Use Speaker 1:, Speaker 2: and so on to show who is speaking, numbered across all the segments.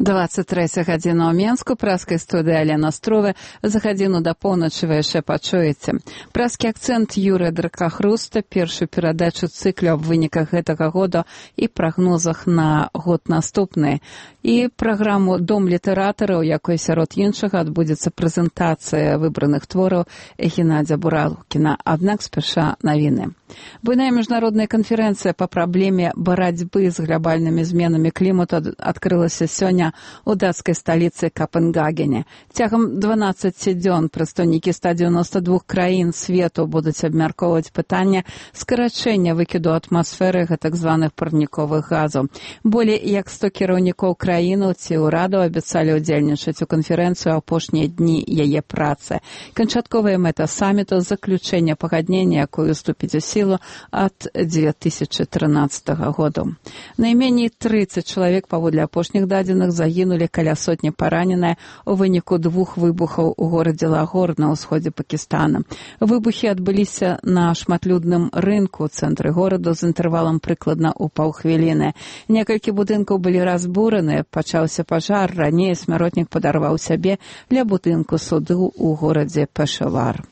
Speaker 1: 23 гадзіна ў Менску, праскай студыі Алена Струве. За гадзіну да поўначы вы яшчэ пачуеце. Праскі акцэнт Юрыя Дракахруста, першую перадачу цыклю аб выніках гэтага года і прагнозах на год наступны. І праграму «Дом літаратараў», якой сярод іншага адбудзецца прэзентацыя выбраных твораў Геннадзя Буралкіна. Аднак спяша навіны. Буйная міжнародная канферэнцыя па праблеме барацьбы з глобальнымі зменамі клімату адкрылася сёння у дацкай сталіцы Капенгагене. Цягам 12 дзён прадстаўнікі 192 краін свету будуць абмяркоўваць пытанне скарачэння выкіду атмасферы гэтак званых парніковых газаў. Болей як 100 кіраўнікоў краінаў ці ўрадаў абяцалі ўдзельнічаць у канферэнцыю апошнія дні яе працы. Канчатковая мэта саміту — заключэнне пагаднення, якое уступіць у сілу ад 2013 году. Найменей 30 чалавек, паводле апошніх дадзеных, загінулі, каля сотні параненыя у выніку 2 выбухаў у горадзе Лагор на ўсходзе Пакістана. Выбухі адбыліся на шматлюдным рынку ў цэнтры гораду з інтэрвалам прыкладна ў паўхвіліны. Некалькі будынкаў былі разбураны, пачаўся пажар, раней смяротнік падарваў сябе ля будынку суду ў горадзе Пешавар.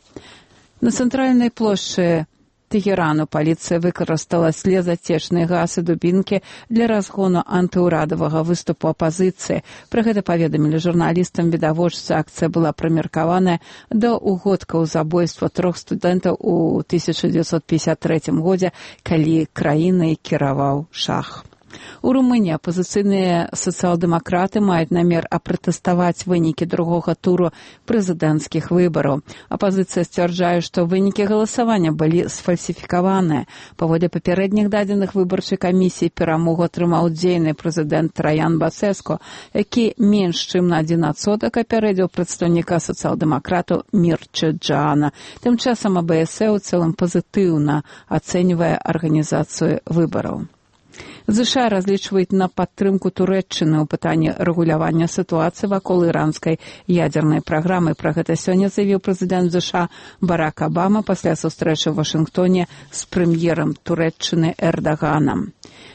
Speaker 1: На цэнтральнай плошчы Тегерану паліцыя выкарыстала слезацечныя газ і дубінкі для разгону антыўрадавага выступу апазіцыі. Пра гэта паведамілі журналістам відавочцы. Акцыя была прымеркаваная да угодкаў забойства 3 студэнтаў у 1953 годзе, калі краінай кіраваў шах. У Румыніі апазіцыйныя сацыял-дэмакраты маюць намер апратэставаць вынікі другога туру прэзідэнцкіх выбараў. Апазіцыя сцвярджае, што вынікі галасавання былі сфальсіфікаваныя. Паводле папярэдніх дадзеных выбарчай камісіі перамогу атрымаў дзейны прэзідэнт Траян Басэску, які менш чым на 1% апярэдзіў прадстаўніка сацыял-дэмакратаў Мірча-Джаана. Тым часам АБС у цэлым пазітыўна ацэньвае арганізацыю выбараў. ЗША разлічваюць на падтрымку Турэччыны ў пытанні рэгулявання сітуацыі вакол іранскай ядзернай праграмы. Пра гэта сёння заявіў прэзідэнт ЗША Барак Абама пасля сустрэчы ў Вашынгтоне з прэм'ерам Турэччыны Эрдаганам.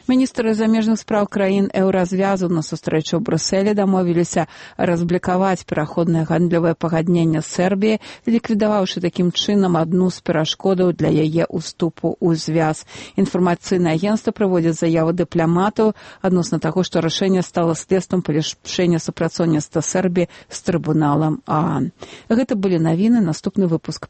Speaker 1: Міністры замежных спраў краін еўразвязу на сустрэчу ў Брюсселі дамовіліся разблікаваць пераходнае гандлёвае пагадненне з Сербіяй, ліквідаваўшы такім чынам адну з перашкодаў для яе ўступу ў звяз. Інфармацыйнае агенцтва прыводзіць заяву дыпламатаў адносна таго, што рашэнне стала следствам палепшэння супрацоўніцтва Сербіі з трыбуналам ААН. Гэта былі навіны, наступны выпуск